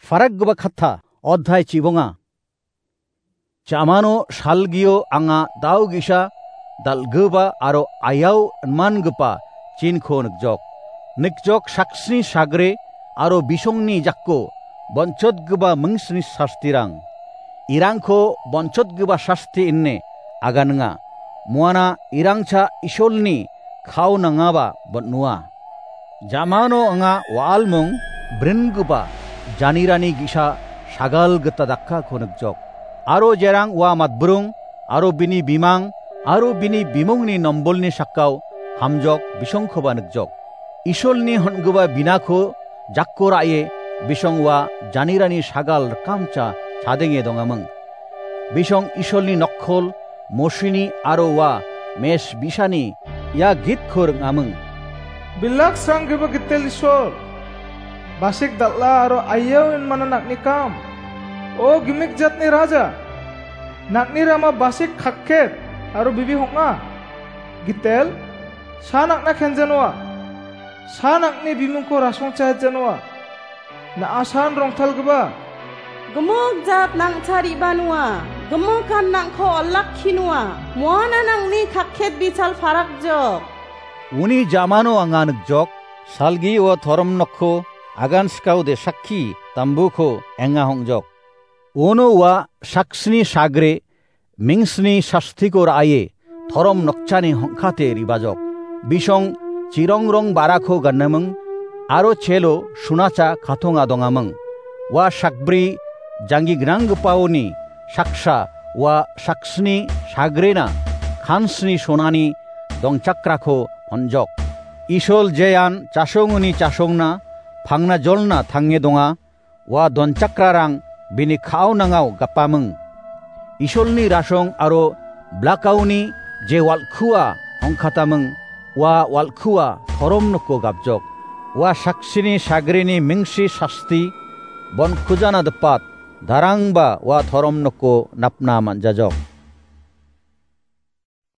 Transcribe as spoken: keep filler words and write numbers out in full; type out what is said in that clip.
Farakgipa katta, odhai chibonga. Jamano salgio anga dao ge·sa dal·gipa aro ayao inmangipa chinko nikjok. Nikjok saksni sagre aro bisongni jakko bonchotgipa mingsni sastirang. Irangko bonchotgipa sasti ine aganinga. Muana irangcha Isolni kao nangaba bon·ua. Jamano anga wa·almong bringipa janirani ge·sa sagal gita dakkako nikjok. Aro jerang ua matbrung, aro bini bimang, aro bini bimungni nombolni sakao hamjok bisongkoba nikjok. Isolni hon·gipa binako jakko ra·e bisong ua janirani sagal rikamcha chadenge dongaming. Bisong Isolni nokkol, Mosini aro ua mes bisani ia gitko ring·aming. Bilak sranggipa Gitel Isol, basik dal·a aro ayao inmana nang·ni kam. O gimik jatni raja, nang·ni rama basik kakket aro bibi hong·a. Gitel, sa nang·na kenjanoa. Sa nang·ni bimungko rasongchahetjanoa. Na·asan rongtalgipa. Gimik jat nang·chariba noa. Gimikan nang·ko olakki noa. Muana nang·ni kakket bichal parakjok. Uni jamano anga nikjok, salgi ua torom nokko agan sikao de sakki tambuko enga hong·jok. Uno ua saksni sagre mingsni sastiko ra·ae torom nokchani hongkate ribajok. Bisong chirongrong barako ganaming aro chelo sunacha katonga dongaming. Ua sakbri janggi gnanggipaoni saksa ua saksni sagrena kansni sonani dongchakrako honjok. Isol jean chasongoni chasongna pangna jolna tange donga. Ua donchakrarang bini ka·aonangao gapaming. Isolni rasong aro blakaoni je wal·kua ongkataming, ua wal·kua torom noko gapjok. Ua saksini sagrini mingsi sasti bon kujana dipat, darangba ua torom noko napna man·jajok.